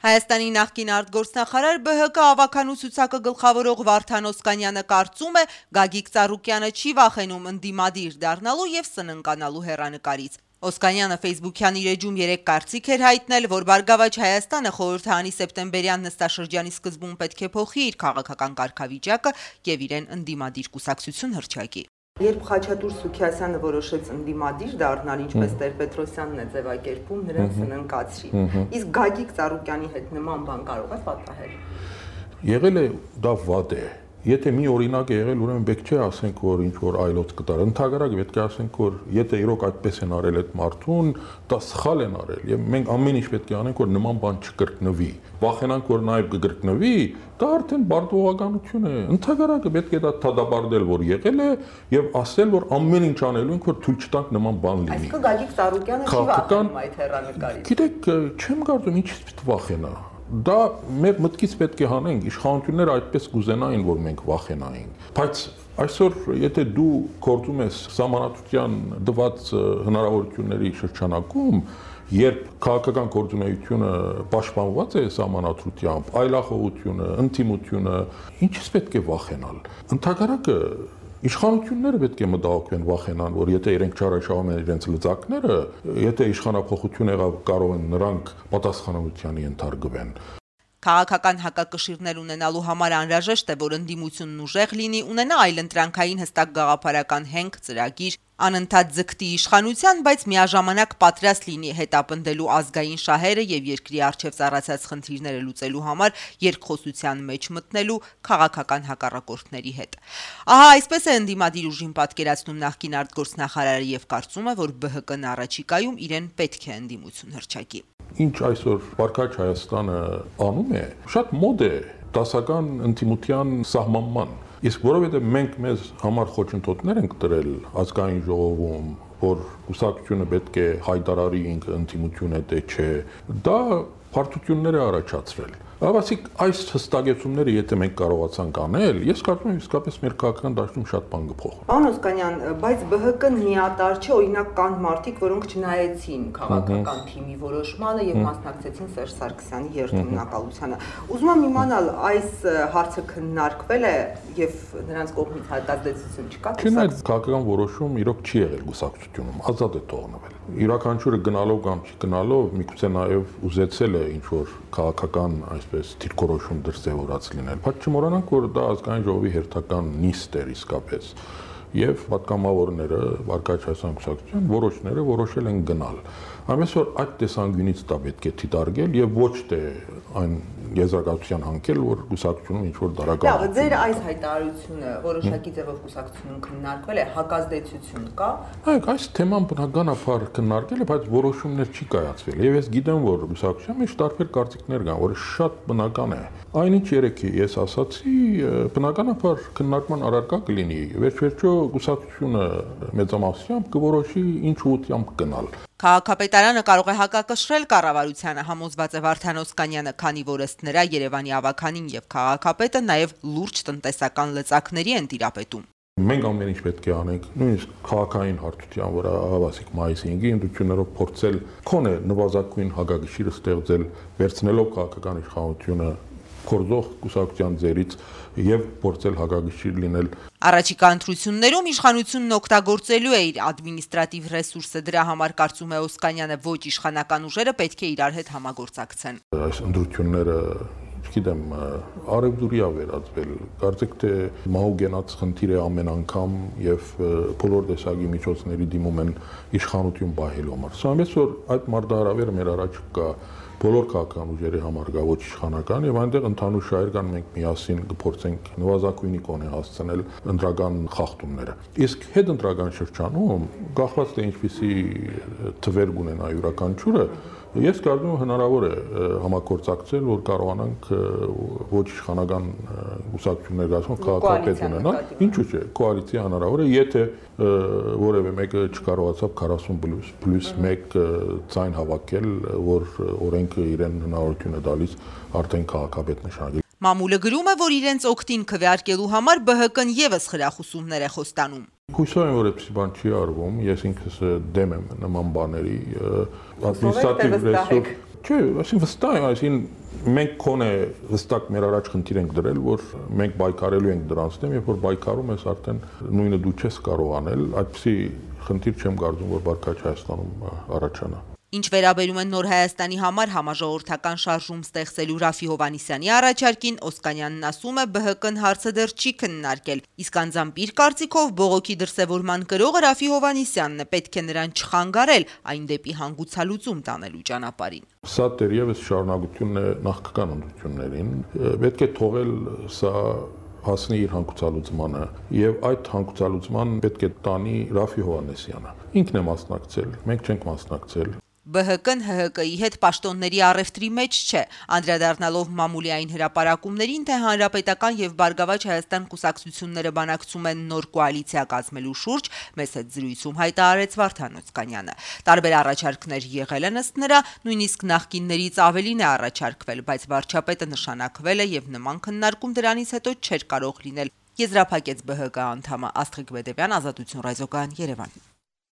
Հայաստանի նախկին արտգործնախարար ԲՀԿ ավականու ցուցակը գլխավորող Վարդան Օսկանյանը կարծում է, Գագիկ Ծառուկյանը չի վախենում ընդդիմադիր դառնալու եւ սննկանալու հեռանկարից։ Օսկանյանը Facebook-յան իր էջում 3 կարծիք էր հայտնել, որ Բարգավաճ Հայաստանը խորհրդարանի սեպտեմբերյան նստաշրջանի սկզբում պետք է փոխի իր քաղաքական կարգավիճակը եւ իրեն ընդդիմադիր կուսակցություն հռչակի։ Երբ Խաչատուր Սուքիասյանը որոշեց ընդդիմադիր դառնալ, ինչպես Տեր-Պետրոսյանն է ձևակերպում, նրան սննկացրի։ Իսկ Գագիկ Ծառուկյանի հետ նման բան կարող է պատահել։ Եղել է դա վատ է։ Եթե մի օրինակ է եղել, ուրեմն պետք չէ ասենք, որ ինչ որ այլոց կտար։ Ընդհանրապես պետք է ասենք, որ եթե իրոք այդպես են արել այդ մարդուն, դա սխալ են արել եւ մենք ամեն ինչ պետք է անենք, որ նման բան չկրկնվի։ Վախենանք, որ նաեւ կկրկնվի, դա արդեն բարդողականություն է։ Ընդհանրապես պետք է դա թադաբարդել, որ եղել է եւ ասել, որ ամեն ինչ անելու ենք, որ թույլ չտանք նման բան լինի։ Այսինքն Գագիկ Ծառուկյանը չի վախենում այդ հեռանկարից։ Գիտեք, չեմ կարծում ինչից պետք է վախենա։ Դա մեր մտքից պետք է հանենք, իշխանությունները այդպես կուզենային, որ մենք վախենայինք, բայց այսօր եթե դու գործում ես սահմանադրության տված հնարավորությունների շրջանակում, երբ քաղաքական գործունեությունը պաշտպանված է սահմանադրությամբ, այլախոհությունը, ինտիմությունը, ինչից պետք է վախենալ։ Ընդհանրապես իշխանությունները պետք է մտահոգվեն, վախենան, որ եթե իրենք չարաշահում են իրենց լծակները, եթե իշխանապողություն եղավ, կարող են նրանք պատասխանատվության ենթարկվեն։ Քաղաքական հակակշիռներ ունենալու համար անհրաժեշտ է, որ ընդդիմությունն ուժեղ լինի, ունենա այլընտրանքային հստակ գաղափարական հենք, ծրագիր, անընդհատ ձգտի իշխանության, բայց միաժամանակ պատրաստ լինի հետապնդելու ազգային շահերը եւ երկրի առջեւ ծառացած խնդիրները լուծելու համար երկխոսության մեջ մտնելու քաղաքական հակառակորդների հետ։ Ահա այսպես է ընդդիմադիր ուժին պատկերացնում նախկին արտգործնախարարը եւ կարծում է, որ ԲՀԿ-ն առաջիկայում իրեն պետք է ընդդիմություն հռչակի։ Ինչ այսօր Բարգավաճ Հայաստանը անում է, շատ մոդ է դասական ինտիմության սահմանման։ Իսկ որովհետև մենք մեզ համար խոչընդոտներ ենք տրել ազգային ժողովում, որ կուսակցությունը պետք է հայտարարի ինքը ինտիմություն է թե չէ, դա բարդություններ է առաջացրել։ Ավասիկ այս հստակեցումները եթե մենք կարողացանք անել, ես կարծում եմ իսկապես մեր քաղաքական դաշտում շատ բան կփոխվի։ Պարոն Օսկանյան, բայց ԲՀԿ-ն միատար չէ, օրինակ կան մարդիկ, որոնք չնայեցին քաղաքական թիմի որոշմանը եւ մասնակցեցին Սերժ Սարգսյանի երթմնակալությանը։ Ուզում եմ իմանալ, այս հարցը քննարկվել է եւ նրանց կողմից հայտարարություն չկա։ Չնայած քաղաքական որոշում իրոք չի եղել կուսակցությունում, ազատ է թողնվել։ Յուրաքանչյուրը գնալով կամ չգնալով միգուցե նաեւ ուզեցել է ինչ որ քաղաքական այսպես դիրքորոշում դրսևորած լինել։ Բայց չմոռանանք, որ դա ազգային ժողովի հերթական նիստ էր իսկապես, եւ պատգամավորները, Բարգավաճ Հայաստան կուսակցության որոշները որոշել են գնալ։ Ամենից որ այդ տեսանկյունից դա պետք է դիտարկել եւ ոչ թե այն եզրակացության հանքել, որ կուսակցությունում ինչ որ դարական։ Լավ, ձեր այս հայտարարությունը որոշակի ձևով կուսակցությունում քննարկվել է, հակազդեցություն կա։ Այո, այս թեման բնականաբար քննարկել է, բայց որոշումներ չի կայացվել։ Եվ ես գիտեմ, որ կուսակցության մեջ տարբեր կարծիքներ կան, որը շատ բնական է։ Այնինչ երեք ես ասացի, բնականաբար քննարկման առարկա կլինի։ Վերջ-վերջո կուսակցությունը մեծամասնությամբ կորոշի ինչ ուղղությամբ գնալ։ Քաղաքապետարանը կարող է հակակշռել կառավարությանը, համոզված է Վարդան Օսկանյանը, քանի որ ըստ նրա Երևանի ավականին եւ քաղաքապետը նաեւ լուրջ տնտեսական լծակների են տիրապետում։ Մենք ամեն ինչ պետք է անենք, նույնիսկ քաղաքային հարթության վրա հավասիկ մայիսի 5-ի ընդդիմություններով փորձել քոնե նվազագույն հակակշիռը ստեղծել, վերցնելով քաղաքական իշխանությունը կորզող կուսակցության ձերից եւ փորձել հակակշիռ լինել։ Առաջիկա ընտրություններում իշխանությունն օգտագործելու է իր ադմինիստրատիվ ռեսուրսը, դրա համար կարծում է Օսկանյանը, ոչ իշխանական ուժերը պետք է իրար հետ համագործակցեն։ Այս ընտրությունները Չգիտեմ, արևդուրի է վերածվել, կարծեք թե մահուգենաց խնդիր է ամեն անգամ եւ բոլոր տեսակի միջոցների դիմում են իշխանություն պահելու համար։ Սա որ այդ մարտահրավերը մեր առաջ կա բոլոր քաղաքական ուժերի համար գա ոչ իշխանական եւ այնտեղ ընդհանուր շահեր կան մենք միասին կփորձենք նվազագույնի կոնե հասցնել ընտրական խախտումները։ Իսկ հետընտրական շրջանում գաղված թե ինչպիսի թվեր ունենա յուրաքանչյուրը Ես կարծում եմ հնարավոր է համագործակցել, որ կարողանանք ոչ իշխանական կուսակցություններ գացող քաղաքապետ ունենալ, ինչու՞ չէ, կոալիցիա հնարավոր է, եթե որևէ մեկը չկարողացավ 40+1 ձայն հավաքել, որ օրենքը իրեն հնարավորություն է տալիս արդեն քաղաքապետ նշանակել։ Մամուլը գրում է, որ իրենց օգտին քվեարկելու համար ԲՀԿ-ն եւս խրախուսումներ է խոստանում։ Հույսով եմ, որ այդպիսի բան չի արվում, ես ինքս դեմ եմ նման բաների, ադմինիստրատիվ ռեսուրս, Չէ, այսինքն վստահ եմ, այսինքն մենք կոնե վստակ մեր առաջ խնդիր ենք դրել, որ մենք բայկարելու ենք դրանց դեմ, երբ որ բայկարում ես արդեն նույնը դու չես կարող անել, այդպիսի խնդիր չեմ կարծում, որ Բարգավաճ Հայաստանում առաջանա։ Ինչ վերաբերում է Նոր Հայաստանի համար համաժողովրդական շարժում ստեղծելու Ռաֆի Հովհաննիսյանի առաջարկին, Օսկանյանն ասում է, ԲՀԿ-ն հարցը դեռ չի քննարկել, իսկ անձամբ իր կարծիքով բողոքի դրսևորման կրողը Ռաֆի Հովհաննիսյանն է, պետք է նրան չխանգարել այն դեպի հանգուցալուծում տանելու ճանապարհին։ Սա դեռևս շարունակությունն է նախկան ընդդիմություններին, պետք է թողել սա հասնի իր հանգուցալուծմանը եւ այդ հանգուցալուծման պետք է տանի Ռաֆի Հովհաննիսյանը։ Ինքն է մասնակցել, մենք չենք մասնակցել։ ԲՀԿ-ն ՀՀԿ-ի հետ պաշտոնների առևտրի մեջ չէ, անդրադառնալով մամուլի այն հրապարակումներին, թե Հանրապետական եւ Բարգավաճ Հայաստան կուսակցությունները բանակցում են նոր կոալիցիա կազմելու շուրջ, մեծ հետ զրույցում հայտարարեց Վարդան Օսկանյանը։ Տարբեր առաջարկներ եղել են ըստ նրա, նույնիսկ նախկիններից ավելին է առաջարկվել, բայց վարչապետը նշանակվել է եւ նման քննարկում դրանից հետո չէր կարող լինել, եզրափակեց ԲՀԿ անդամը Աստղիկ Բեդևյան, Ազատություն ռադիոկայան, Երևան։